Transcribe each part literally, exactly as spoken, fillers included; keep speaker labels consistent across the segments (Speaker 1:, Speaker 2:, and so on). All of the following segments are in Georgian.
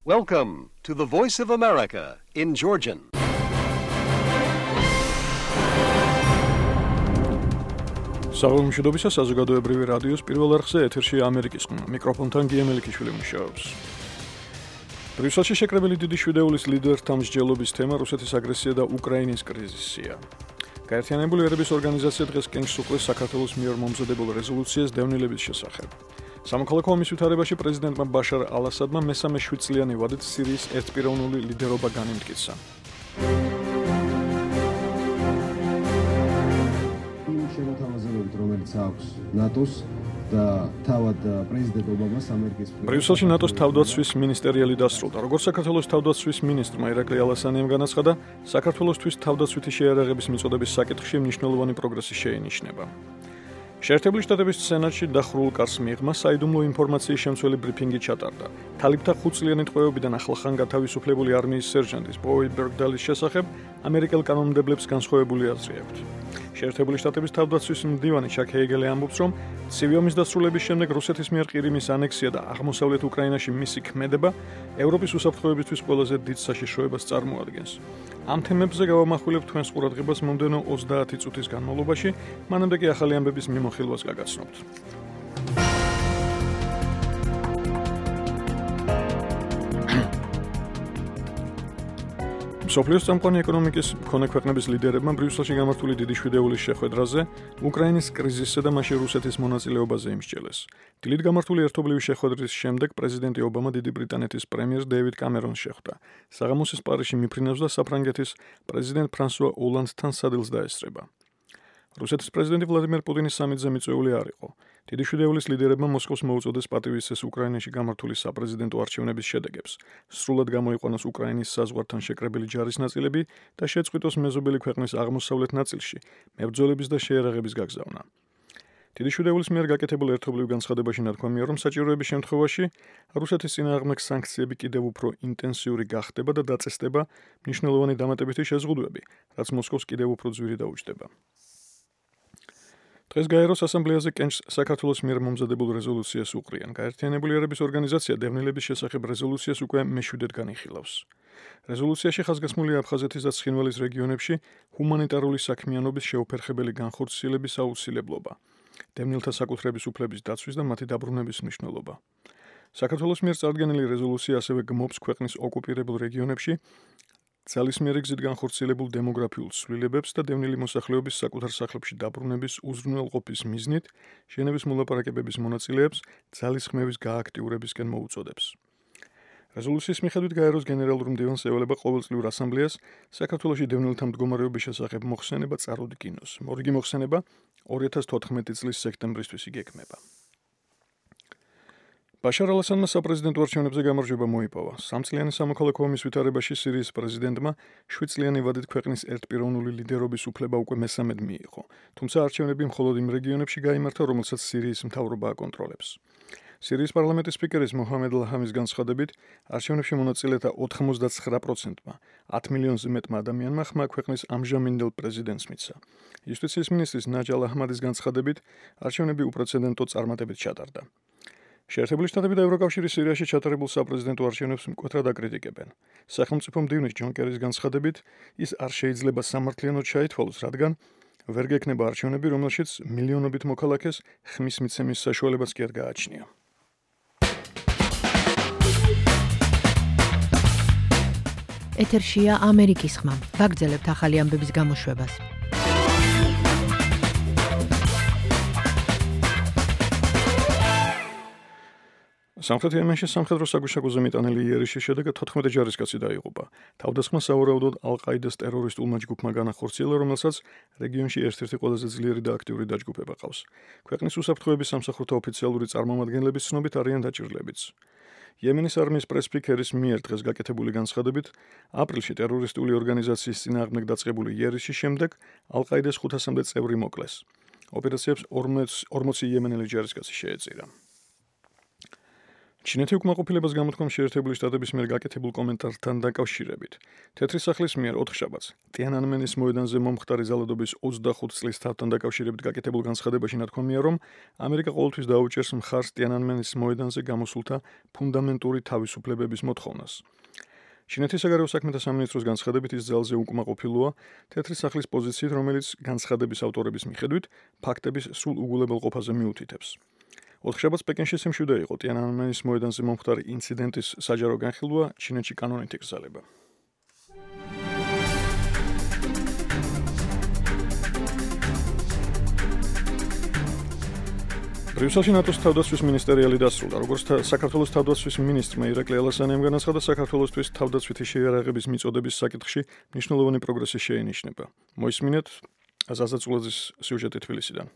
Speaker 1: Welcome to the Voice of America in Georgian.
Speaker 2: Საღამოშობისა საზოგადოებრივი რადიოს პირველ არხზე ეთერში ამერიკის ხმა. მიკროფონთან გიემელიქიშვილი მუშაობს. ბრიუსელში შეკრებილი დიდი შვიდეულის ლიდერთა მსჯელობის თემა რუსეთის აგრესია და უკრაინის კრიზისია. გაერთიანებული ერების ორგანიზაცია დღეს კენჭს უყრის საქართველოს მიერ მომზადებულ რეზოლუციას დევნილების შესახებ. სამოქალაქო ომის ვითარებაში პრეზიდენტმა ბაშარ ალ-ასადმა მესამე შვიდწლიანი ვადით სირიის ერთპიროვნული ლიდერობა განიმტკიცა.
Speaker 3: შემოთავაზებებით, რომელიც აქვს ნატოს და თავად პრეზიდენტ ობამას ამერიკის
Speaker 2: ბრიუსელში ნატოს თავდაცვის მინისტერიალი დასრულდა. როგორც საქართველოს თავდაცვის მინისტრმა ირაკლი ალასანიამ განაცხადა, საქართველოსთვის თავდაცვითი შეიარაღების მიწოდების საკითხში მნიშვნელოვანი პროგრესი შეინიშნება. შეერთებული შტატების სენატში დახურულ კარს მიღმა საიდუმლო ინფორმაციის შემცველი ბრიფინგი ჩატარდა. თალიფთა ხუთწლიანი ტყვეობიდან ახლახან გათავისუფლებული არმიის სერჟანტის ბოი ბერგდალის შესახებ ამერიკელ კანონმდებლებს განსხვავებული აზრი აქვთ. შეერთებული შტატების თავდაცვის მდივანი ჩაკ ჰეიგელი ამბობს, რომ ცივი ომის დასრულების შემდეგ რუსეთის მიერ ყირიმის ანექსია და აღმოსავლეთ უკრაინაში მისი ქმედება ევროპის უსაფრთხოებისთვის ყველაზე დიდ საშიშროებას წარმოადგენს. ამ თემებზე გავამახვილებთ თქვენს ყურადღებას მომდევნო ოცდაათი წუთის განმავლობაში, მანამდე კი ახალი ამბების მიმოხილვას გაგაცნობთ. მსოფლიოს წამყვანი ეკონომიკის მქონე ქვეყნების ლიდერებმა ბრიუსელში გამართული დიდი შვიდეულის შეხვედრაზე უკრაინის კრიზისსა და მასში რუსეთის მონაწილეობაზე იმსჯელეს. დილით გამართული ერთობლივი შეხვედრის შემდეგ პრეზიდენტი ობამა დიდი ბრიტანეთის პრემიერს დეივიდ კამერონს შეხვდა. საღამოსის პარიზში მიფრინავს და საფრანგეთის პრეზიდენტ ფრანსუა ოლანდთან სადილს დაესწრება. რუსეთის პრეზიდენტი ვლადიმერ პუტინის სამიტზე მიწვეული არ იყო. დიდი შვიდეულის ლიდერებმა მოსკოვს მოუწოდეს პატივისცეს უკრაინაში გამართული საპრეზიდენტო არჩევნების შედეგებს, სრულად გამოიყვანოს უკრაინის საზღვართან შეკრებილი ჯარის ნაწილები და შეწყვიტოს მეზობელი ქვეყნის აღმოსავლეთ ნაწილში მებრძოლების და შეიარაღების გაგზავნა. დიდი შვიდეულის მიერ გაკეთებულ ერთობლივ განცხადებაში ნათქვამია, რომ საჭიროების შემთხვევაში რუსეთის წინააღმდეგ სანქციები კიდევ უფრო ინტენსიური გახდება და დაწესდება მნიშვნელოვანი დამატებითი შეზღუდვები, რაც მოსკოვს კიდევ უფრო ძვირი დაუჯდება. დღეს გაეროს ასამბლეაზე კენჭს საქართველოს მიერ მომზადებულ რეზოლუციას უყრიან. გაერთიანებული ერების ორგანიზაცია დევნილების შესახებ რეზოლუციას უკვე მეშვიდედ განიხილავს. რეზოლუციაში ხაზგასმულია აფხაზეთის და ცხინვალის რეგიონებში ჰუმანიტარული საქმიანობის შეუფერხებელი განხორციელების აუცილებლობა, დევნილთა საკუთრების უფლების დაცვის და მათი დაბრუნების მნიშვნელობა. საქართველოს მიერ წარდგენილი რეზოლუცია ასევე გმობს ქვეყნის ოკუპირებულ რეგიონებში ძალისმიერი გზით განხორციელებულ დემოგრაფიულ ცვლილებებს და დევნილი მოსახლეობის საკუთარ სახლებში დაბრუნების უზრუნველყოფის მიზნით ჟენევის მოლაპარაკებების მონაწილეებს ძალისხმევის გააქტიურებისკენ მოუწოდებს. რეზოლუციის მიხედვით გაეროს გენერალური მდივანს ევალება ყოველწლიურ ასამბლეას საქართველოში დევნილთა მდგომარეობის შესახებ მოხსენება წარუდგინოს. მორიგი მოხსენება ორი ათას თოთხმეტი წლის სექტემბრისთვის იგეგმება. ბაშარ ალ-ასადმა საპრეზიდენტო არჩევნებზე გამარჯვება მოიპოვა. სამწლიანი სამოქალაქო ომის ვითარებაში სირიის პრეზიდენტმა შვიდწლიანი ვადით ქვეყნის ერთპიროვნული ლიდერობის უფლება უკვე მესამედ მიიღო. თუმცა არჩევნები მხოლოდ იმ რეგიონებში გაიმართა, რომელსაც სირიის მთავრობა აკონტროლებს. სირიის პარლამენტის სპიკერის მოჰამედ ლაჰამის განცხადებით, არჩევნებში მონაწილეთა ოთხმოცდაცხრა პროცენტმა, ათ მილიონზე მეტმა ადამიანმა ხმა ქვეყნის ამჟამინდელ პრეზიდენტს მიცა. იუსტიციის მინისტრის ნაჯ ალ-აჰმადის განცხადებით, არჩევნები უპრეცედენტო წარმატებით ჩატარდა. შეერთებული შტატები და ევროკავშირი სირიაში ჩატარებულ საპრეზიდენტო არჩევნებს მკვეთრად აკრიტიკებენ. სახელმწიფო მდივნის ჯონ კერის განცხადებით, ის არ შეიძლება სამართლიანოდ ჩაითვალოს, რადგან ვერ გექნება არჩევნები, რომელშიც მილიონობით მოქალაქეს ხმის მიცემის საშუალებაც კი არ გააჩნია.
Speaker 4: ეთერშია ამერიკის ხმა. ვაგრძელებთ ახალი ამბების გამოშვებას.
Speaker 2: სამხრეთ იემენში სამხედრო საგუშაგოზე მიტანილი იერიშის შედეგად თოთხმეტი ჯარისკაცი დაიღუპა. თავდასხმა სავარაუდოდ ალ-ყაიდას ტერორისტულმა ჯგუფმა განახორციელა, რომელსაც რეგიონში ერთ-ერთი ყველაზე ძლიერი და აქტიური დაჯგუფება ყავს. ქვეყნის უსაფრთხოების სამსახურთა ოფიციალური წარმომადგენლების ცნობით არიან დაჭირლებიც. იემენის არმიის პრესპიკერის მიერ დღეს გაკეთებული განცხადებით, აპრილში ტერორისტული ორგანიზაციის წინააღმდეგ დაწყებული იერიშის შემდეგ ალ-ყაიდას ხუთასამდე წევრი მოკლეს. ოპერაციებს ორმოცი იემენელი ჯარისკაცი შეეწირა. ჩინეთი უკმაყოფილებას გამოთქვამს შეერთებული შტატების მიერ გაკეთებულ კომენტართან დაკავშირებით. თეთრი სახლის მიერ ოთხშაბათს ტიანანმენის მოედანზე მომხდარი ძალადობის ოცდახუთ წლის თავთან დაკავშირებით გაკეთებულ განცხადებაში ნათქვამია, რომ ამერიკა ყოველთვის დაუჭერს მხარს ტიანანმენის მოედანზე გამოსულთა ფუნდამენტური თავისუფლებების მოთხოვნას. ჩინეთის საგარეო საქმეთა სამინისტროს განცხადებით ის ძალზე უკმაყოფილოა თეთრი სახლის პოზიციით, რომელიც განცხადების ავტორების მიხედვით ფაქტების სრულ უგულებელყოფაზე მიუთითებს. ოთხშაბათს პეკინში სიმშვიდე იყო ტიანანმენის მოედანზე მომხდარი ინციდენტის საჯარო განხილვა ჩინეთში კანონით იკრძალება. ბრიუსელში ნატოს თავდაცვის მინისტერიალი დასრულდა, როგორც საქართველოს თავდაცვის მინისტრმა ირაკლი ალასანიამ განაცხადა, საქართველოსთვის თავდაცვითი შეიარაღების მიწოდების საკითხში მნიშვნელოვანი პროგრესი შეინიშნება. მოისმინეთ ზაზა წულაძის სიუჟეტი თბილისიდან.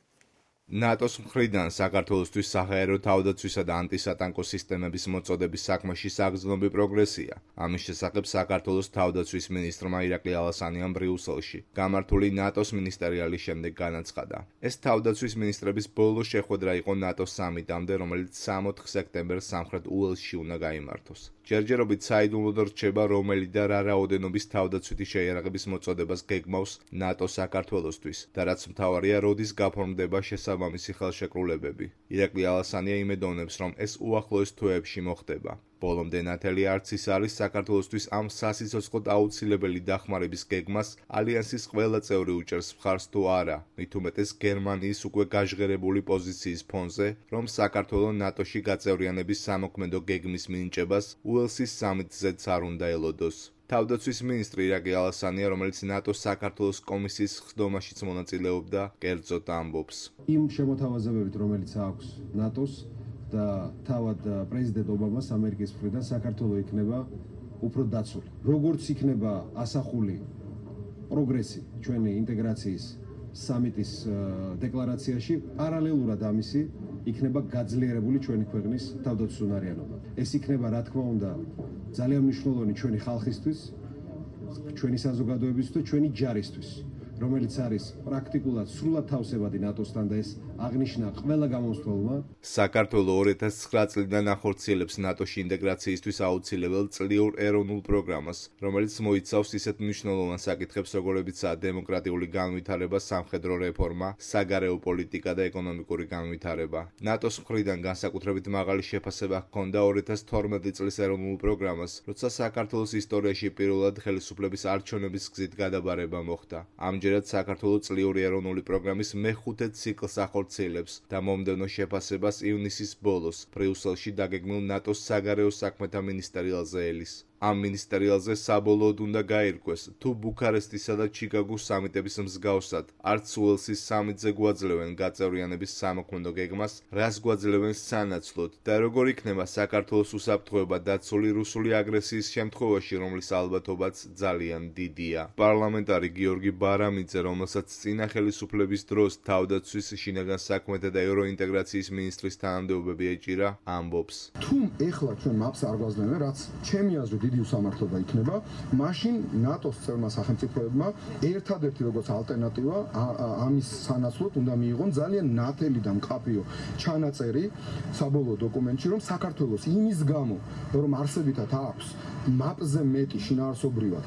Speaker 5: ნატოს მხრიდან საქართველოსთვის საჰაერო თავდაცვისა და ანტისატანკო სისტემების მოწოდების საქმეში საგრძნობი პროგრესია. ამის შესახებ საქართველოს თავდაცვის მინისტრმა ირაკლი ალასანიამ ბრიუსელში გამართული ნატოს მინისტერიალის შემდეგ განაცხადა. ეს თავდაცვის მინისტრების ბოლო შეხვედრა იყო ნატოს სამიტამდე, რომელიც სამოთხ სექტემბერს სამხრეთ უელსში უნდა გაიმართოს. ჯერჯერობით საიდუმლოდ რჩება, რომელი და რა რაოდენობის თავდაცვითი შეიარაღების მოწოდებას გეგმავს ნატო საქართველოსთვის და რაც მთავარია, როდის გაფორმდება შესაბამისი ხელშეკრულებები. ირაკლი ალასანია იმედოვნებს, რომ ეს უახლოეს თვეებში მოხდება. ბოლომდე ნათელი არც ის არის საქართველოსთვის ამ სასიცოცხლოდ აუცილებელი დახმარების გეგმას ალიანსის ყველა წევრი უჭერს მხარს თუ არა, მით უმეტეს გერმანიის უკვე გაჟღერებული პოზიციის ფონზე, რომ საქართველო ნატოში გაწევრიანების სამოქმედო გეგმის მინიჭებას უელსის სამიტზეც არ უნდა ელოდოს. თავდაცვის მინისტრი ირაკლი ალასანია, რომელიც ნატოს საქართველოს კომისიის ხდომაშიც მონაწილეობდა, კერძოდ ამბობს.
Speaker 3: იმ შემოთავაზებებით, რომელიც აქვს ნატოს და თავად პრეზიდენტ ობამას ამერიკის მხრიდან საქართველო იქნება უფრო დაცული. როგორც იქნება ასახული პროგრესი ჩვენი ინტეგრაციის სამიტის დეკლარაციაში, პარალელურად ამისი იქნება გაძლიერებული ჩვენი ქვეყნის თავდაცვის უნარიანობა. ეს იქნება, რა თქმა უნდა, ძალიან მნიშვნელოვანი ჩვენი ხალხისთვის, ჩვენი საზოგადოებისთვის და ჩვენი ჯარისთვის, რომელიც არის პრაქტიკულად სრულად თავსებადი ნატოსთან და ეს აღნიშნა ყველა გამომცემელმა.
Speaker 5: საქართველო ორი ათას ცხრა წლიდან ახორციელებს ნატოში ინტეგრაციისთვის აუცილებელ წლიურ ეროვნულ პროგრამას, რომელიც მოიცავს ისეთ მნიშვნელოვან საკითხებს, როგორებიცაა დემოკრატიული განვითარება, სამხედრო რეფორმა, საგარეო პოლიტიკა და ეკონომიკური განვითარება. ნატოს მხრიდან განსაკუთრებით მაღალი შეფასება ჰქონდა ორი ათას თორმეტი წლის ეროვნულ პროგრამას, როცა საქართველოს ისტორიაში პირველად ხელისუფლების არჩევნების გზით გადაბარება მოხდა. ამჯერად საქართველო წლიური ეროვნული პროგრამის მეხუთე ციკლს ახორციელებს და მომდევნო შეფასებას ივნისის ბოლოს ბრიუსელში დაგეგმილ ნატოს საგარეო საქმეთა მინისტერიალზე ელის. ამ მინისტერიალზე საბოლოოდ უნდა გაირკვეს, თუ ბუქარესტისა და ჩიკაგოს სამიტების მსგავსად არც უელსის სამიტზე გვაძლევენ გაწევრიანების სამოქმედო გეგმას, რას გვაძლევენ სანაცვლოდ და როგორ იქნება საქართველოს უსაფრთხოება დაცული რუსული აგრესიის შემთხვევაში, რომლის ალბათობაც ძალიან დიდია. პარლამენტარი გიორგი ბარამიძე, რომელსაც წინა ხელისუფლების დროს თავდაცვის, შინაგან საქმეთა და ევროინტეგრაციის მინისტრის თანამდებობები ეჭირა, ამბობს.
Speaker 6: თუ ეხლა ჩვენ მაპს არ გვაძლევენ, რაც ჩემი აზრით დიდი უსამართლობა იქნება, მაშინ ნატოს წევრმა სახელმწიფოებმა ერთადერთი როგორც ალტერნატივა ამის სანაცვლოდ უნდა მიიღონ ძალიან ნათელი და მკაფიო ჩანაწერი საბოლოო დოკუმენტში, რომ საქართველოს იმის გამო, რომ არსებითად აქვს მაპზე მეტი შინაარსობრივად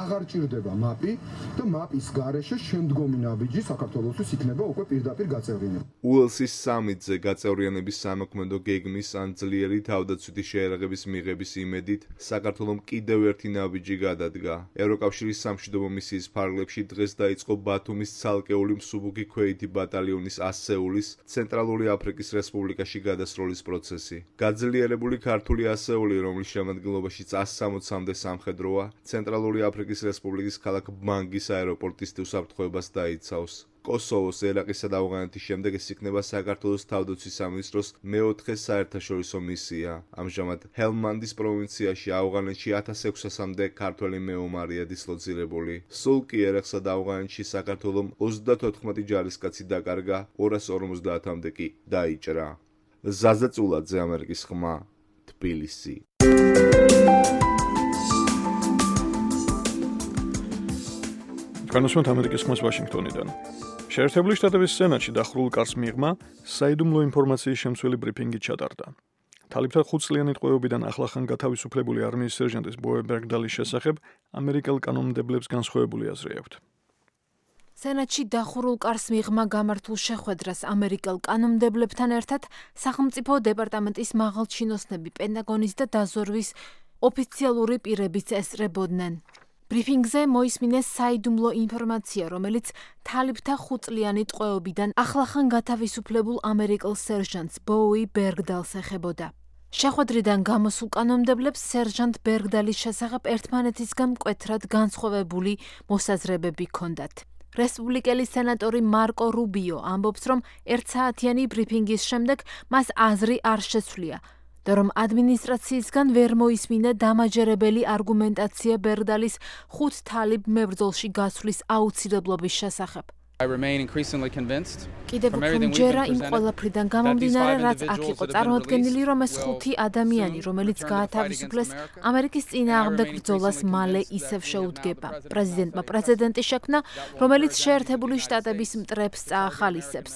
Speaker 6: აღარ ჭირდება მაპი და მაპის გარეშე შემდგომი ნაბიჯი საქართველოსთვის იქნება უკვე პირდაპირ გაწევრიანება.
Speaker 5: უელსის სამიტზე გაწევრიანების სამოქმედო გეგმის ან ძლიერი თავდაცვითი შეიარაღების მიღების იმედით საქართველომ კიდევ ერთი ნაბიჯი გადადგა. ევროკავშირის სამშვიდობო მისიის ფარგლებში დღეს დაიწყო ბათუმის ცალკეული მსუბუქი ქვეითი ბატალიონის ასეულის ცენტრალური აფრიკის რესპუბლიკაში გადასროლის პროცესი. გაძლიერებული ქართული ასეული, რომლის შემადგენლობაშიც სამოცამდე სამხედროა, ცენტრალური აფრიკის რესპუბლიკის ქალაქ ბანგის აეროპორტის უსაფრთხოებას დაიცავს. კოსოვოს, ერაყისა და ავღანეთის შემდეგ ეს იქნება საქართველოს თავდაცვის სამინისტროს მეოთხე საერთაშორისო მისია. ამჟამად ჰელმანდის პროვინციაში ავღანეთში ათას ექვსასამდე ქართველი მეომარია დისლოცირებული. სულ კი ერაყსა და ავღანეთში საქართველომ ოცდათოთხმეტი ჯარისკაცი დაკარგა, ორას ორმოცდაათამდე კი დაიჭრა. ზაზა წულაძე, ამერიკის ხმა, თბილისი.
Speaker 2: განსვენთ ამერიკის ხმას ვაშინგტონიდან. შეერთებული შტატების სენატში დახურულ კარს მიღმა საიდუმლო ინფორმაციის შემცველი ბრიფინგი ჩატარდა. თალიბთა ხუთწლიანი ტყვეობიდან ახლახან გათავისუფლებული არმიის სერჟანტის ბოე ბერგდალის შესახებ ამერიკელ კანონმდებლებს განსხვავებული აზრი აქვთ.
Speaker 7: სენატში დახურულ კარს მიღმა გამართულ შეხვედრას ამერიკელ კანონმდებლებთან ერთად სახელმწიფო დეპარტამენტის მაღალჩინოსნები, პენტაგონის და დაზვერვის ოფიციალური პირებიც ესწრებოდნენ. ბრიფინგზე მოისმინეს საიდუმლო ინფორმაცია, რომელიც თალიბთა ხუთწლიანი ტყვეობიდან ახლახან გათავისუფლებულ ამერიკელ სერჟანტს ბოუი ბერგდალს ეხებოდა. შეხვედრიდან გამოსულ კანონმდებლებს სერჟანტ ბერგდალის შესახებ ერთმანეთისგან მკვეთრად განსხვავებული მოსაზრებები ჰქონდათ. რესპუბლიკელი სენატორი მარკო რუბიო ამბობს, რომ ერთსაათიანი ბრიფინგის შემდეგ მას აზრი არ შეცვლია და რომ ადმინისტრაციისგან ვერ მოისმინა დამაჯერებელი არგუმენტაცია ბერგდალის ხუთ თალიბ მებრძოლში გასვლის აუცილებლობის შესახებ. კიდევ უფრო მჯერა იმ ყველაფრიდან გამომდინარე, რაც აქ იყო წარმოდგენილი, რომ ეს ხუთი ადამიანი, რომელიც გაათავისუფლეს ამერიკის წინააღმდეგ ბრძოლას მალე ისევ შეუდგება. პრეზიდენტმა პრეცედენტი შექმნა, რომელიც შეერთებული შტატების მტრებს წაახალისებს.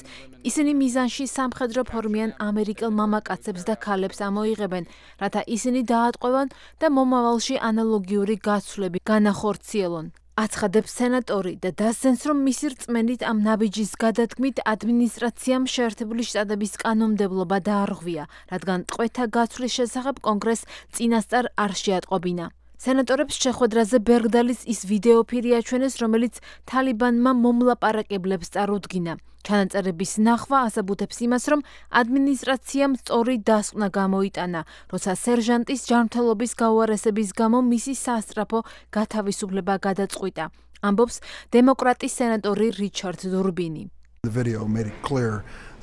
Speaker 7: ისინი მიზანში სამხედრო ფორმიან ამერიკელ მამაკაცებს და ქალებს ამოიღებენ, რათა ისინი დაატყვევან და მომავალში ანალოგიური გაცვლები განახორციელონ. აცხადებს სენატორი და დასძენს, რომ მისი რწმენით ამ ნაბიჯის გადადგმით ადმინისტრაციამ შეერთებული შტატების კანონმდებლობა დაარღვია, რადგან ტყვეთა გაცვლის შესახებ კონგრესს წინასწარ არ შეატყობინა. სენატორებს შეხვედრაზე ბერგდალის ის ვიდეოფირი აჩვენეს, რომელიც თალიბანმა მომლაპარაკებლებს წარუდგინა. ჩანაწერების ნახვა ასაბუთებს იმას, რომ ადმინისტრაციამ სწორი დასკვნა გამოიტანა, როცა სერჟანტის ჯანმრთელობის გაუარესების გამო მისი სასწრაფო გათავისუფლება გადაწყვიტა. ამბობს დემოკრატის სენატორი რიჩარდ დურბინი.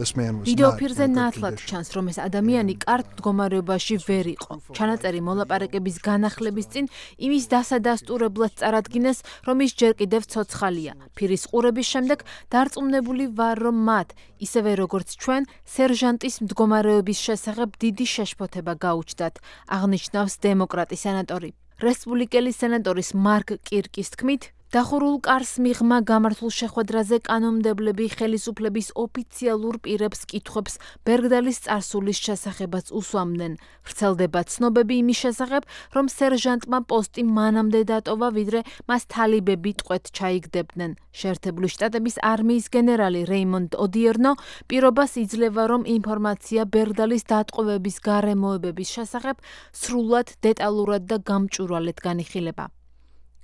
Speaker 7: ვიდეოფირზე ნათლად ჩანს, რომ ეს ადამიანი კარგ მდგომარეობაში ვერ იყო. ჩანაწერი მოლაპარაკების განახლების წინ იმის დასადასტურებლად წარადგინეს, რომ ის ჯერ კიდევ ცოცხალია. ფირის ყურების შემდეგ დარწმუნებული ვარ, რომ მათ, ისევე როგორც ჩვენ, სერჟანტის მდგომარეობის შესახებ დიდი შეშფოთება გაუჩნდათ, აღნიშნავს დემოკრატი სენატორი. რესპუბლიკელი სენატორის მარკ კირკის თქმით, დახურულ კარს მიღმა გამართულ შეხვედრაზე კანონმდებლები ხელისუფლების ოფიციალურ პირებს კითხვებს ბერგდალის წარსულის შესახებაც უსვამდნენ. ვრცელდება ცნობები იმის შესახებ, რომ სერჟანტმა პოსტი მანამდე დატოვა, ვიდრე მას თალიბები ტყვედ ჩაიგდებდნენ. შეერთებული შტატების არმიის გენერალი რეიმონდ ოდიერნო პირობას იძლევა, რომ ინფორმაცია ბერგდალის დატყვევების გარემოებების შესახებ სრულად, დეტალურად და გამჭვირვალედ განიხილება.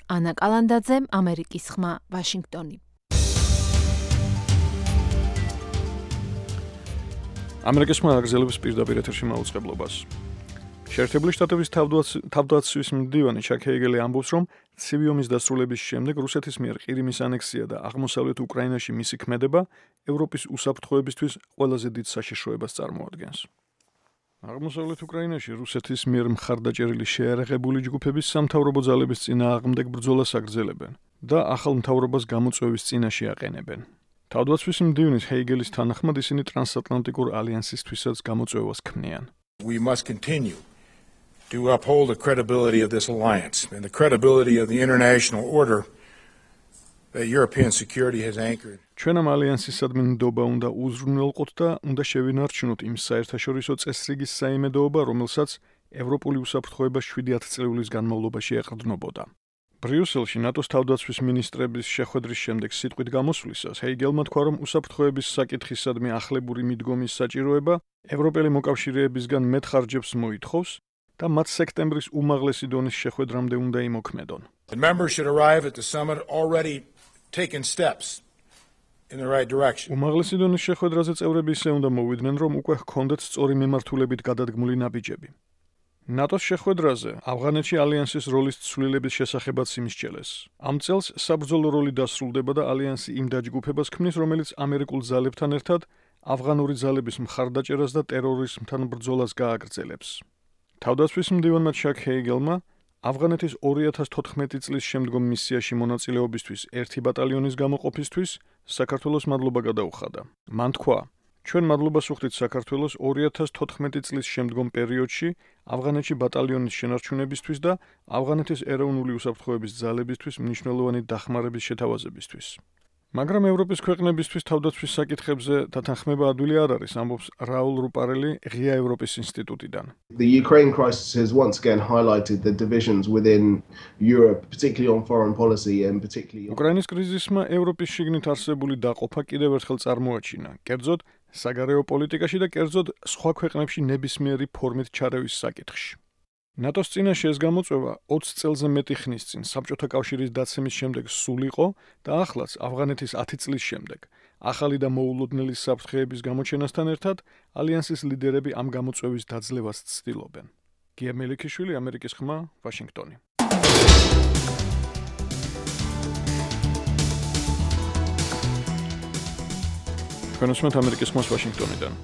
Speaker 7: ანა კალანდაძე, ამერიკის ხმა, ვაშინგტონი.
Speaker 2: ამერიკის ხმა აგრძელებს პირდაპირ ეთერში მაუწყებლობას. შეერთებული შტატების თავდაცვის მდივანი ჩაკ ჰეიგელი ამბობს, რომ ცივი ომის დასრულების შემდეგ რუსეთის მიერ ყირიმის ანექსია და აღმოსავლეთ უკრაინაში მისი ქმედება ევროპის უსაფრთხოებისთვის ყველაზე დიდ საშიშროებას წარმოადგენს. აღმოსავლეთ უკრაინაში რუსეთის მიერ მხარდაჭერილი შეერაღებული ჯგუფების სამთავრობო ძალების წინააღმდეგ ბრძოლას აგრძელებენ და ახალ მთავრობას გამოწვევის წინაშე აყენებენ. თავდაცვის მდივნის ჰეიგელის თანახმად ისინი ტრანსატლანტიკურ ალიანსისთვისაც გამოწვევას ქმნიან.
Speaker 8: We must continue to uphold the credibility of this alliance and the credibility of the international order that European security has anchored.
Speaker 2: ჩვენ ამ ალიანსისადმი ნდობა უნდა უზრუნველყოთ და უნდა შევინარჩუნოთ იმ საერთაშორისო წესრიგის საიმედოობა, რომელსაც ევროპული უსაფრთხოება შვიდი ათწლეულის განმავლობაში ეყრდნობოდა. ბრიუსელში ნატოს თავდაცვის მინისტრების შეხვედრის შემდეგ სიტყვით გამოსვლისას ჰეიგელმა თქვა, რომ უსაფრთხოების საკითხისადმი ახლებური მიდგომის საჭიროება ევროპელი მოკავშირეებისგან მეტ ხარჯებს მოითხოვს და მათ სექტემბრის უმაღლესი დონის შეხვედრამდე უნდა იმოქმედონ.
Speaker 8: The members should arrive at the summit already taken steps in the right direction.
Speaker 2: უმაღლესი დონის შეხვედრაზე წევრები ისე უნდა მოვიდნენ, რომ უკვე ჰქონდეთ სწორი მიმართულებით გადადგმული ნაბიჯები. ნატოს შეხვედრაზე ავღანეთში ალიანსის როლის ცვლილების შესახებაც იმსჯელეს. ამ წელს საბრძოლო როლი დასრულდება და ალიანსი იმ დაჯგუფებას ქმნის, რომელიც ამერიკულ ძალებთან ერთად ავღანური ძალების მხარდაჭერას და ტერორიზმთან ბრძოლას გააგრძელებს. თავდაცვის მდივანმა ჩაკ ჰეიგელმა ავღანეთის ორი ათას თოთხმეტი წლის შემდგომ მისიაში მონაწილეობისთვის ერთი ბატალიონის გამოყოფისთვის საქართველოს მადლობა გადაუხადა. მან თქვა, ჩვენ მადლობას ვუხდით საქართველოს ორი ათას თოთხმეტი წლის შემდგომ პერიოდში ავღანეთში ბატალიონის შენარჩუნებისთვის და ავღანეთის ეროვნული უსაფრთხოების ძალებისთვის მნიშვნელოვანი დახმარების შეთავაზებისთვის. მაგრამ ევროპის ქვეყნებისთვის თავდაცვის საკითხებზე დათანხმება ადვილი არ არის, ამბობს რაულ რუპარელი ღია ევროპის ინსტიტუტიდან.
Speaker 9: The Ukraine crisis has once again highlighted the divisions within Europe, particularly on foreign policy and particularly
Speaker 2: უკრაინის კრიზისმა ევროპის შიგნით არსებული დაყოფა კიდევ ერთხელ წარმოაჩინა, კერძოდ საგარეო პოლიტიკაში და კერძოდ სხვა ქვეყნებში ნებისმიერი ფორმით ჩარევის საკითხში. ნატოს წინაშე ეს გამოწვევა ოცი წელზე მეტი ხნის წინ საბჭოთა კავშირის დაცემის შემდეგ სულ იყო და ახლაც ავღანეთის ათი წლის შემდეგ ახალი და მოულოდნელი საფრთხეების გამოჩენასთან ერთად ალიანსის ლიდერები ამ გამოწვევის დაძლევას ცდილობენ. გია მელიქიშვილი, ამერიკის ხმა, ვაშინგტონი. თქვენ უსმენთ ამერიკის ხმას ვაშინგტონიდან.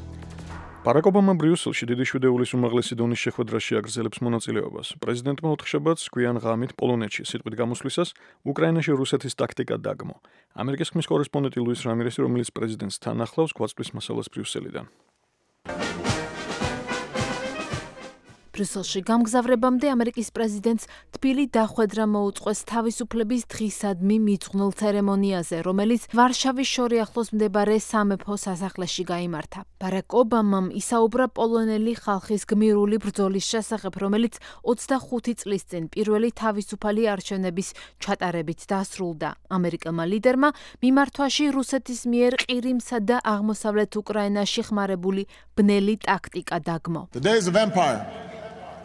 Speaker 2: ბარაკ ობამა ბრიუსელში დიდი შვიდეულის უმაღლესი დონის შეხვედრაში აგრძელებს მონაწილეობას. პრეზიდენტმა ოთხშაბათს გვიან ღამით პოლონეთში სიტყვით გამოსვლისას უკრაინაში რუსეთის ტაქტიკა დაგმო. ამერიკის ხმის კორესპონდენტი ლუის რამირესი, რომელიც პრეზიდენტს თან ახლავს, გვაწვდის მასალას ბრიუსელიდან.
Speaker 7: ბრიუსელში გამგზავრებამდე ამერიკის პრეზიდენტს თბილი დახვედრა მოუწყვეს თავისუფლების დღისადმი მიძღვნილ ცერემონიაზე, რომელიც ვარშავის შორი ახლოს მდებარე სამეფო სასახლეში გაიმართა. ბარაკ ობამამ ისაუბრა პოლონელი ხალხის გმირული ბრძოლის შესახებ, რომელიც ოცდახუთი წლის წინ პირველი თავისუფალი არჩევნების ჩატარებით დასრულდა. ამერიკელმა ლიდერმა მიმართვაში რუსეთის მიერ ყირიმსა და აღმოსავლეთ უკრაინაში ხმარებული ბნელი ტაქტიკა დაგმო.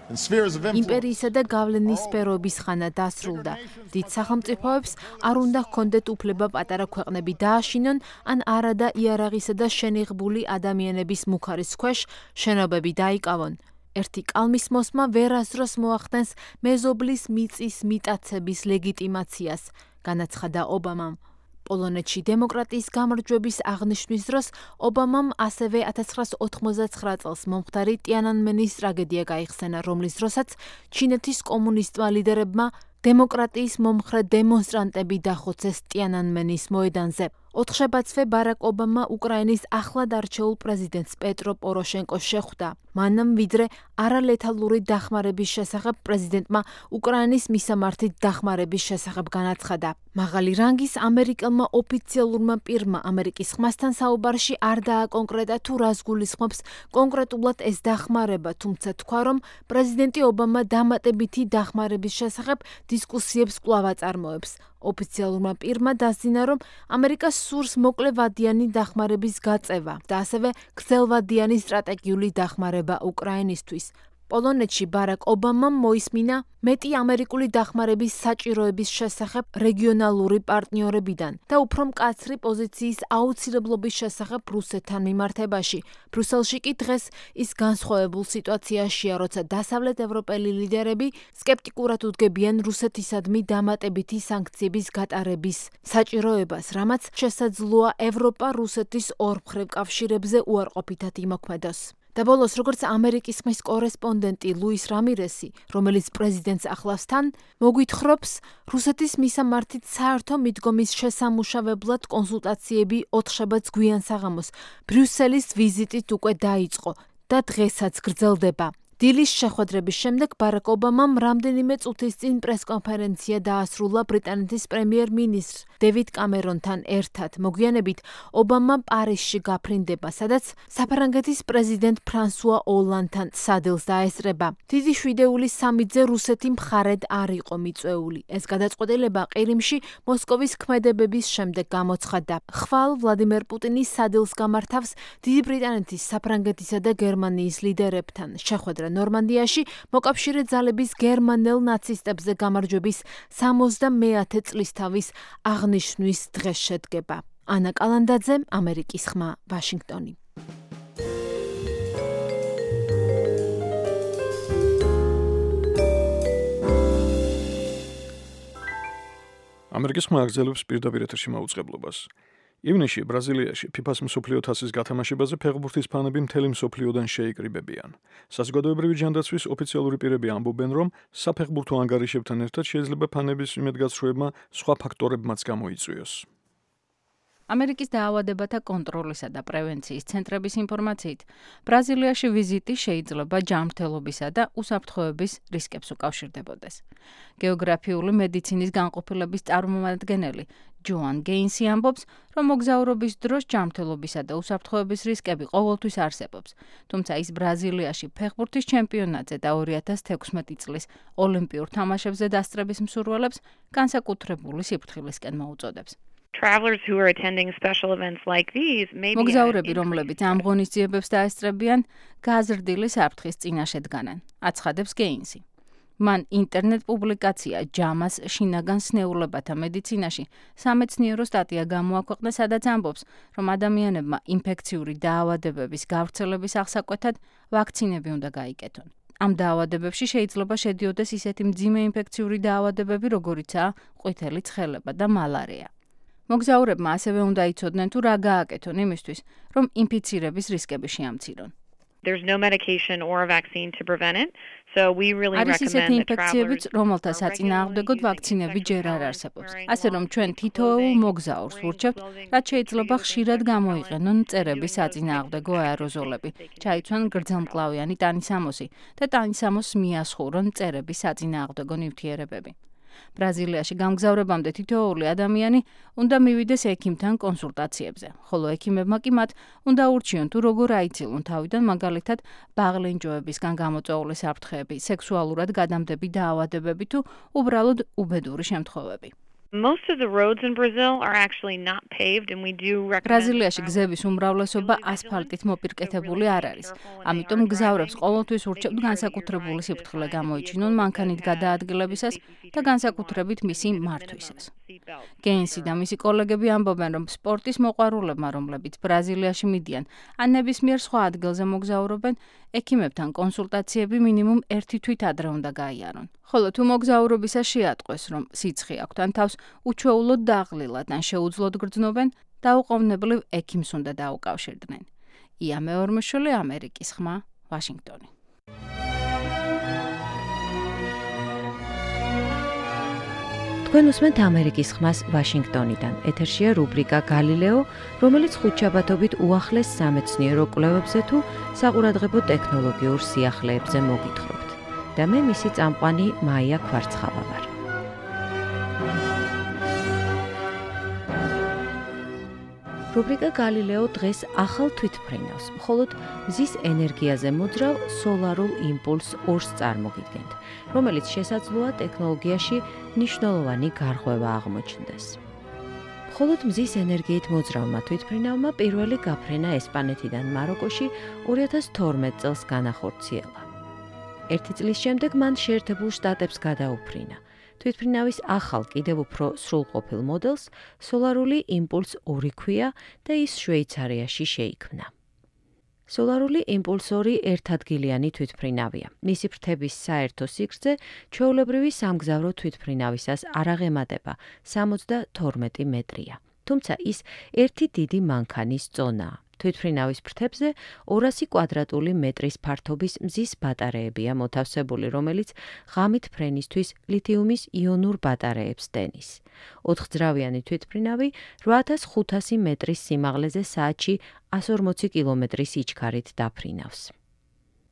Speaker 7: იმპერიისა და გავლენის სფეროების ხანა დასრულდა. დიდ სახელმწიფოებს არ უნდა ჰქონდეთ უფლება პატარა ქვეყნები დააშინონ, ან არადა იარაღისა და შენიღბული ადამიანების მუხარის ქვეშ შენობები დაიკავონ. ერთი კალმის მოსმა ვერასდროს მოახდენს მეზობლის მიწის მიტაცების ლეგიტიმაციას, განაცხადა ობამამ. პოლონეთში დემოკრატიის გამარჯვების აღნიშვნის დროს ობამამ ასევე ათას ცხრაასი ოთხმოცდაცხრა წელს მომხდარი ტიანანმენის ტრაგედია გაიხსენა, რომლის დროსაც ჩინეთის კომუნისტმა ლიდერებმა დემოკრატიის მომხრე დემონსტრანტები დახოცეს ტიანანმენის მოედანზე. ოთხშაბათსვე ბარაკ ობამა უკრაინის ახლად არჩეულ პრეზიდენტს პეტრო პოროშენკოს შეხვდა. მანამ ვიდრე არალეთალური დახმარების შესახებ პრეზიდენტმა უკრაინის მისამართით დახმარების შესახებ განაცხადა. მაღალი რანგის ამერიკელმა ოფიციალურმა პირმა ამერიკის ხმასთან საუბარში არ დააკონკრეტა თუ რას გულისხმობს კონკრეტულად ეს დახმარება, თუმცა თქვა, რომ პრეზიდენტი ობამა დამატებითი დახმარების შესახებ დისკუსიებს კვლავ აწარმოებს. ოფიციალურმა პირმა დასძინა, რომ ამერიკას სურს მოკლევადიანი დახმარების გაწევა და ასევე გრძელვადიანი სტრატეგიული დახმარება უკრაინისთვის. პოლონეთში ბარაკ ობამამ მოისმინა მეტი ამერიკული დახმარების საჭიროების შესახებ რეგიონალური პარტნიორებიდან და უფრო მკაცრი პოზიციის აუცილებლობის შესახებ რუსეთთან მიმართებაში. ბრიუსელში კი დღეს ის განსხვავებულ სიტუაციაშია, როცა დასავლეთ ევროპელი ლიდერები სკეპტიკურად უდგებიან რუსეთისადმი დამატებითი სანქციების გატარების საჭიროებას, რამაც შესაძლოა ევროპა რუსეთის ორმხრივ კავშირებზე უარყოფითად იმოქმედოს. და ბოლოს, როგორც ამერიკის ხმის კორესპონდენტი ლუის რამირესი, რომელიც პრეზიდენტს ახლავს თან, მოგვითხრობს რუსეთის მისამართით საერთო მიდგომის შესამუშავებლად კონსულტაციები ოთხშაბათს გვიან საღამოს ბრიუსელის ვიზიტით უკვე დაიწყო და დღესაც გრძელდება. დილის შეხვედრების შემდეგ ბარაკ ობამამ რამდენიმე წუთის წინ პრესკონფერენცია დაასრულა ბრიტანეთის პრემიერ-მინისტრ დევიდ კამერონთან ერთად. მოგვიანებით ობამა პარიზში გაფრინდება, სადაც საფრანგეთის პრეზიდენტ ფრანსუა ოლანდთან სადილს დაესწრება. დიდი შვიდეულის სამიძე რუსეთი მხარედ არ იყო მიწვეული. ეს გადაწყვეტილება ყირიმში მოსკოვის ქმედებების შემდეგ გამოცხადდა. ხვალ ვლადიმერ პუტინის სადილს გამართავს დიდი ბრიტანეთის, საფრანგეთისა და გერმანიის ლიდერებთან. შეხვედრა ნორმანდიაში მოკავშირე ძალების გერმანელ ნაცისტებზე გამარჯვების სამოცდამეათე წლისთავის აღნიშვნის დღეს შედგება. ანა კალანდაძე, ამერიკის ხმა, ვაშინგტონი.
Speaker 2: ამერიკის ხმა აგრძელებს პირდაპირ ეთერში მაუწყებლობას. ივნისში ბრაზილიაში ფიფას მსოფლიო თასის გათამაშებაზე ფეხბურთის ფანები მთელი მსოფლიოდან შეიკრიბებიან. საზოგადოებრივი ჯანდაცვის ოფიციალური პირები ამბობენ, რომ საფეხბურთო ანგარიშებთან ერთად შეიძლება ფანების იმედგაცრუებმა სხვა ფაქტორებმაც გამოიწვიოს.
Speaker 10: ამერიკის დაავადებათა კონტროლისა და პრევენციის ცენტრების ინფორმაციით, ბრაზილიაში ვიზიტი შეიძლება ჯანმრთელობისა და უსაფრთხოების რისკებს უკავშირდებოდეს. გეოგრაფიული მედიცინის განყოფილების წარმომადგენელი ჯოან გეინსი ამბობს, რომ მოგზაურობის დროს ჯანმრთელობისა და უსაფრთხოების რისკები ყოველთვის არსებობს, თუმცა ის ბრაზილიაში ფეხბურთის ჩემპიონატზე და ორი ათას თექვსმეტი წლის ოლიმპიურ თამაშებზე დასწრების მსურველებს განსაკუთრებული სიფრთხილისკენ მოუწოდებს. მოგზაურები, რომლებიც ამ ღონისძიებებს დაესწრებიან, გაზრდილი საფრთხის წინაშე დგანან, აცხადებს გეინსი. მან ინტერნეტ პუბლიკაცია ჯამას შინაგან სნეულებათა მედიცინაში სამეცნიერო სტატია გამოაქვეყნა, სადაც ამბობს, რომ ადამიანებმა ინფექციური დაავადებების გავრცელების აღსაკვეთად ვაქცინები უნდა გაიკეთონ. ამ დაავადებებში შეიძლება შედიოდეს ისეთი მძიმე ინფექციური დაავადებები, როგორიცაა ყვითელი ცხელება და მალარია. მოგზაურებმა ასევე უნდა იცოდნენ, თუ რა გააკეთონ იმისთვის, რომ ინფიცირების რისკები შეამცირონ.
Speaker 11: There's no medication or a vaccine to prevent it. So we really
Speaker 10: recommend
Speaker 11: that travelers
Speaker 10: ინფექციებიც, რომელთა საწინააღმდეგოდ ვაქცინები ჯერ არ არსებობს. ასე რომ ჩვენ თითოეულ მოგზაურს ვურჩევთ, რაც შეიძლება ხშირად გამოიყენონ მწერების საწინააღმდეგო აეროზოლები, ჩაიცვან გრძელმკლავიანი ტანისამოსი და ტანისამოსს მიასხურონ მწერების საწინააღმდეგო ნივთიერებები. ბრაზილიაში გამგზავრებამდე თითოეული ადამიანი უნდა მივიდეს ექიმთან კონსულტაციებზე, ხოლო ექიმებმა კი მათ უნდა ურჩიონ, თუ როგორ აიცილონ თავიდან, მაგალითად, ბაღლენჯოებისგან გამოწვეული საფრთხეები, სექსუალურად გადამდები დაავადებები თუ უბრალოდ უბედური შემთხვევები.
Speaker 11: Most of the roads in Brazil are actually not paved and we do recommend
Speaker 10: ბრაზილიაში გზების უმრავლესობა ასფალტით მოპირკეთებული არ არის. ამიტომ მგზავრებს ყოველთვის ურჩევთ განსაკუთრებული სიფრთხილე გამოიჩინონ მანქანით გადაადგილებისას და განსაკუთრებით მისი მართვისას. გეინსი და მისი კოლეგები ამბობენ, რომ სპორტის მოყვარულებმა, რომლებიც ბრაზილიაში მიდიან, ან ნებისმიერ სხვა ადგილზე მოგზაურობენ, ექიმებთან კონსულტაციები მინიმუმ ერთი თვით ადრე უნდა გაიარონ. ხოლო თუ მოგზაურობისას შეატყვეს, რომ სიცხე აქვთ ან თავს უჩვეულოდ დაღლილად ან შეუძლოდ გრძნობენ, დაუყოვნებლივ ექიმს უნდა დაუკავშირდნენ. ია მეორმოშვილი, ამერიკის ხმა, ვაშინგტონი.
Speaker 4: თქვენ უსმენთ ამერიკის ხმას ვაშინგტონიდან. ეთერშია რუბრიკა გალილეო, რომელიც ხუთშაბათობით უახლეს სამეცნიერო კვლევებზე თუ საყურადღებო ტექნოლოგიურ სიახლეებზე მოგითხრობთ. და მე მისი წამყვანი მაია ქვარცხავა ვარ. რუბრიკა გალილეო დღეს ახალ თვითმფრინავს, მხოლოდ მზის ენერგიაზე მოძრავ სოლარულ იმპულსს ორს წარმოგიდგენთ, რომელიც შესაძლოა ტექნოლოგიაში მნიშვნელოვანი გარღვევა აღმოჩნდეს. მხოლოდ მზის ენერგიით მოძრავმა თვითმფრინავმა პირველი გაფრენა ესპანეთიდან მაროკოში ორი ათას თორმეტ წელს განახორციელა. ერთი წლის შემდეგ მან შეერთებულ შტატებს გადაუფრინა. თვითმფრინავის ახალ კიდევ უფრო სრულყოფილ მოდელს სოლარული იმპულს ორი ქვია და ის შვეიცარიაში შეიქმნა. სოლარული იმპულს ორი ერთადგილიანი თვითმფრინავია. მისი ფრთების საერთო სიგრძე ჩვეულებრივი სამგზავრო თვითმფრინავისას არ აღემატება სამოცდათორმეტი მეტრია. თუმცა ის ერთი დიდი მანქანის წონაა. თვითმფრინავის ფრთებზე ორასი კვადრატული მეტრის ფართობის მზის ბატარეებია მოთავსებული, რომელიც ღამით ფრენისთვის ლითიუმის იონურ ბატარეებს დენის. ოთხძრავიანი თვითმფრინავი რვა ათას ხუთასი მეტრის სიმაღლეზე საათში εκατს ორმოცი კილომეტრის სიჩქარით დაფრინავს.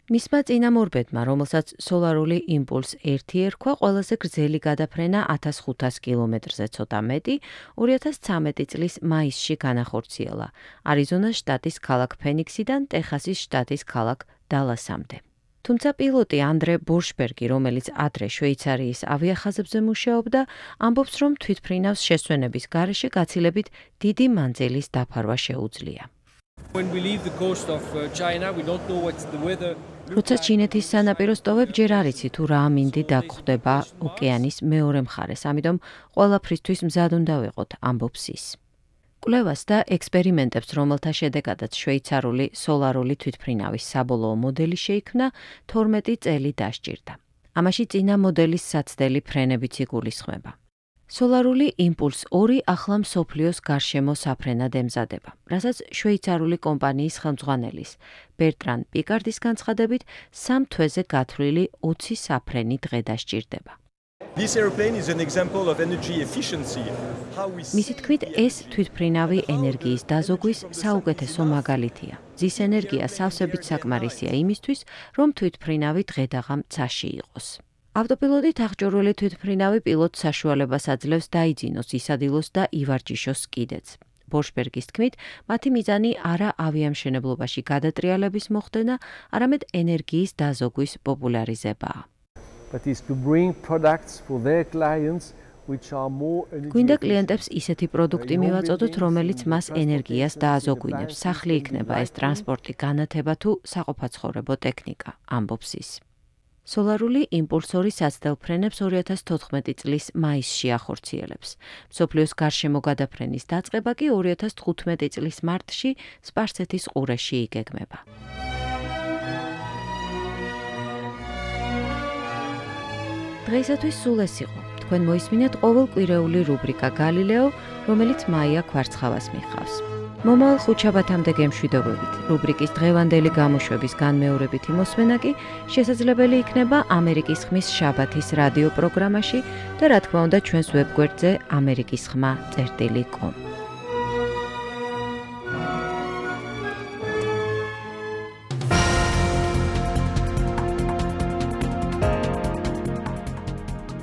Speaker 4: მისმა წინამორბედმა, რომელსაც სოლარული იმპულს ერთი ერქვა, ყველაზე გრძელი გადაფრენა ათას ხუთას კილომეტრზე ცოტა მეტი, ორი ათას ცხრამეტი წლის მაისში განახორციელა, არიზონას შტატის ქალაქ ფენიქსიდან ტეხასის შტატის ქალაქ დალასამდე. თუმცა პილოტი ანდრე ბორშბერგი, რომელიც ადრე შვეიცარიის ავიახაზებზე მუშაობდა, ამბობს, რომ თვითმფრინავს შესვენების გარეშე გაცილებით დიდი მანძილის დაფარვა შეუძლია.
Speaker 12: When we leave the coast of China, we don't know what's the weather.
Speaker 4: როცა ჩინეთის სანაპიროს ტოვებ, ჯერ არ იცი თუ რა ამინდი დაგხვდება ოკეანის მეორე მხარეს, ამიტომ ყველაფრისთვის მზად უნდა ვიყოთ, ამბობს ის. კვლევას და ექსპერიმენტებს, რომელთა შედეგადაც შვეიცარული სოლარული თვითმფრინავის საბოლოო მოდელი შეიქმნა, თორმეტი წელი დასჭირდა. ამაში წინა მოდელის საცდელი ფრენებიც იგულისხმება. სოლარული იმპულს ორი ახლა მსოფლიოს გარშემო საფრენად ემზადება, რასაც შვეიცარული კომპანიის ხელმძღვანელის ბერტრან პიკარდის განცხადებით სამ თვეზე გათვლილი ოცი საფრენი დღე დასჭირდება.
Speaker 13: This airplane is an example of energy efficiency.
Speaker 4: მისი თქმით, ეს თვითმფრინავი ენერგიის დაზოგვის საუკეთესო მაგალითია. ძის ენერგია სავსებით საკმარისია იმისთვის, რომ თვითმფრინავი დღე-დაღამ ცაში იყოს. ავტოპილოტით აღჭურვილი თვითმფრინავი პილოტს საშუალებას აძლევს დაიძინოს, ისადილოს და ივარჯიშოს კიდეც. ბორშბერგის თქმით, მათი მიზანი არა ავიამშენებლობაში გადატრიალების მოხდენა, არამედ ენერგიის დაზოგვის პოპულარიზებაა.
Speaker 14: But is to bring products for their clients which are more
Speaker 4: გვინდა კლიენტებს ისეთი პროდუქტი მივაწოდოთ, რომელიც მას ენერგიას დააზოგვინებს. სახლი იქნება ეს ტრანსპორტი, განათება თუ საყოფაცხოვრებო ტექნიკა, ამბობს ის. სოლარული იმპულსორი საცდელფრენებს ორი ათას თოთხმეტი წლის მაისში ახორციელებს. მსოფლიოს გარშემო გადაფრენის დაწყება კი ორი ათას თხუთმეტი წლის მარტში სპარსეთის ყურეში იგეგმება. დღეისათვის სულ ეს იყო. თქვენ მოისმინეთ ყოველკვირეული რუბრიკა გალილეო, რომელიც მაია ქვარცხავას მიხავს. მომავალ ხუთშაბათამდე გემშვიდობებით. რუბრიკის დღევანდელი გამოშვების განმეორებითი მოსმენა კი შესაძლებელი იქნება ამერიკის ხმის შაბათის რადიო პროგრამაში და რა თქმა უნდა ჩვენს ვებგვერდზე ამერიკის ხმა წერტილი კომ.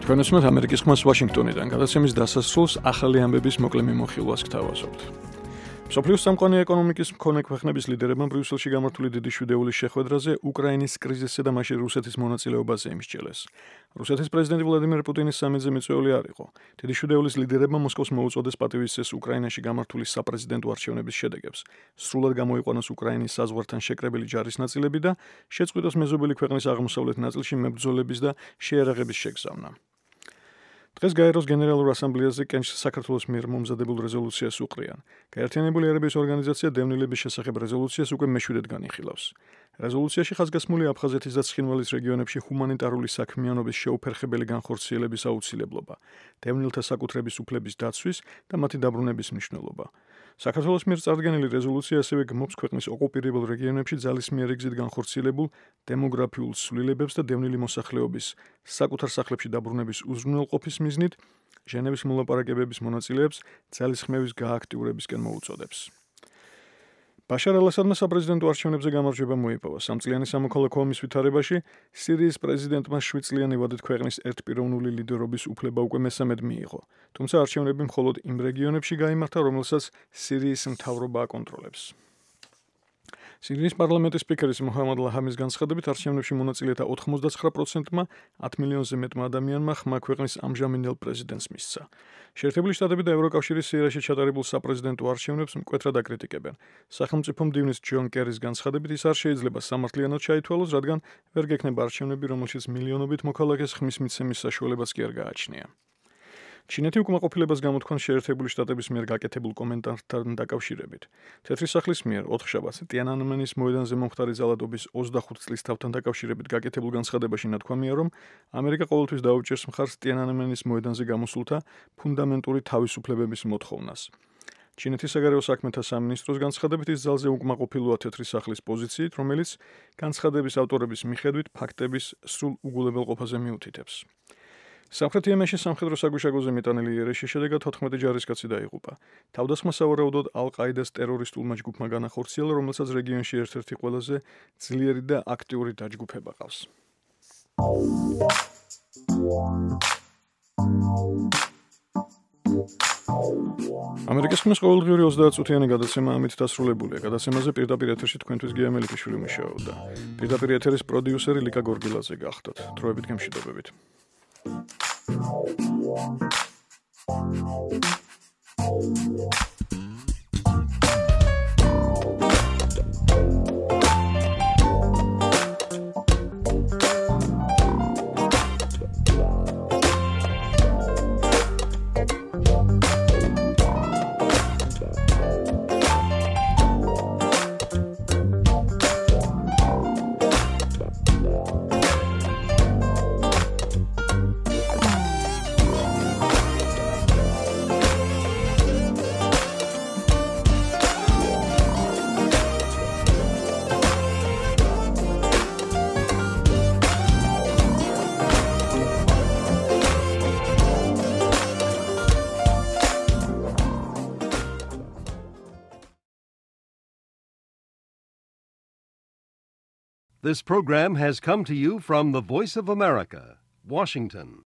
Speaker 2: თქვენ უსმენთ ამერიკის ხმას ვაშინგტონიდან. გადაცემის დასასრულს ახალი ამბების მოკლე მიმოხილვას გთავაზობთ. მსოფლიოს სამყარო ეკონომიკის მქონე ქვეყნების ლიდერებმა ბრიუსელში გამართული დიდი შვიდეულის შეხვედრაზე უკრაინის კრიზისზე და მასში რუსეთის მონაწილეობაზე იმსჯელეს. რუსეთის პრეზიდენტი ვლადიმერ პუტინის სამედზე მიწვეული არ იყო. დიდი შვიდეულის ლიდერებმა მოსკოვს მოუწოდეს პატივისცეს უკრაინაში გამართული საპრეზიდენტო არჩევნების შედეგებს. სრულად გამოიყვანოს უკრაინის საზღვართან შეკრებილი ჯარის ნაწილები და შეწყვიტოს მეზობელი ქვეყნის აღმოსავლეთ ნაწილში მებრძოლების და შეიარაღების შეგზავნა. დღეს გაეროს გენერალურ ასამბლეაზე კენჭს საქართველოს მიერ მომზადებულ რეზოლუციას უყრიან. გაერთიანებული ერების ორგანიზაცია დევნილების შესახებ რეზოლუციას უკვე მეშვიდედ განიხილავს. რეზოლუციაში ხაზგასმულია აფხაზეთის და ცხინვალის რეგიონებში ჰუმანიტარული საქმიანობის შეუფერხებელი განხორციელების აუცილებლობა, დევნილთა საკუთრების უფლების დაცვის და მათი დაბრუნების მნიშვნელობა. საქართველოს მიერ წარდგენილი რეზოლუცია ასევე გმობს ქვეყნის ოკუპირებულ რეგიონებში ძალისმიერი გზით განხორციელებულ დემოგრაფიულ ცვლილებებს და დევნილი მოსახლეობის საკუთარ სახლებში დაბრუნების უზრუნველყოფის მიზნით ჟენევის მოლაპარაკებების მონაწილეებს ძალისხმევის გააქტიურებისკენ მოუწოდებს. ბაშარ ალ-ასადმა საპრეზიდენტო არჩევნებზე გამარჯვება მოიპოვა. სამწლიანი სამოქალაქო ომის ვითარებაში სირიის პრეზიდენტმა შვიდწლიანი ვადით ქვეყნის ერთპიროვნული ლიდერობის უფლება უკვე მესამედ მიიღო. თუმცა არჩევნები მხოლოდ იმ რეგიონებში გაიმართა, რომელსაც სირიის მთავრობა აკონტროლებს. სირიის პარლამენტის სპიკერის მოჰამად ლაჰამის განცხადებით არჩევნებში მონაწილეთა ოთხმოცდაცხრა პროცენტმა ათ მილიონზე მეტმა ადამიანმა ხმა ქვეყნის ამჟამინდელ პრეზიდენტს მისცა. შეერთებული შტატები და ევროკავშირის სირიაში ჩატარებულ საპრეზიდენტო არჩევნებს მკვეთრად აკრიტიკებენ. სახელმწიფო მდივნის ჯონ კერის განცხადებით ის არ შეიძლება სამართლიანად ჩაითვალოს, რადგან ვერ გექნება არჩევნები, რომელშიც მილიონობით მოქალაქეს ხმის მიცემის საშუალებაც კი არ გააჩნია. ჩინეთი უკმაყოფილებას გამოთქვამს შეერთებული შტატების მიერ გაკეთებულ კომენტართან დაკავშირებით. თეთრი სახლის მიერ ოთხშაბათს ტიანანმენის მოედანზე მომხდარი ძალადობის ოცდახუთ წლის თავთან დაკავშირებით გაკეთებულ განცხადებაში ნათქვამია, რომ ამერიკა ყოველთვის დაუჭერს მხარს ტიანანმენის მოედანზე გამოსულთა ფუნდამენტური თავისუფლებების მოთხოვნას. ჩინეთის საგარეო საქმეთა სამინისტროს განცხადებით ის ძალზე უკმაყოფილოა თეთრი სახლის პოზიციით, რომელიც განცხადების ავტორების მიხედვით ფაქტების სრულ უგულებელყოფაზე მიუთითებს. სამხრეთ იემენში სამხედრო საგუშაგოზე მიტანილი იერიშის შედეგად თოთხმეტი ჯარისკაცი დაიღუპა. თავდასხმა სავარაუდოდ ალ-ყაიდას ტერორისტულმა ჯგუფმა განახორციელა, რომელსაც რეგიონში ერთ-ერთი ყველაზე ძლიერი და აქტიური დაჯგუფება ყავს. ამერიკის ხმის ყოველდღიური ოცდაათწუთიანი გადაცემა ამით დასრულებულია. გადაცემაზე პირდაპირ ეთერში თქვენთვის გია მელიქიშვილი მუშაობდა. პირდაპირ ეთერის პროდიუსერი ლიკა გორგილაძე გახდათ. დროებით გემშვიდობებით.
Speaker 1: This program has come to you from the Voice of America, Washington.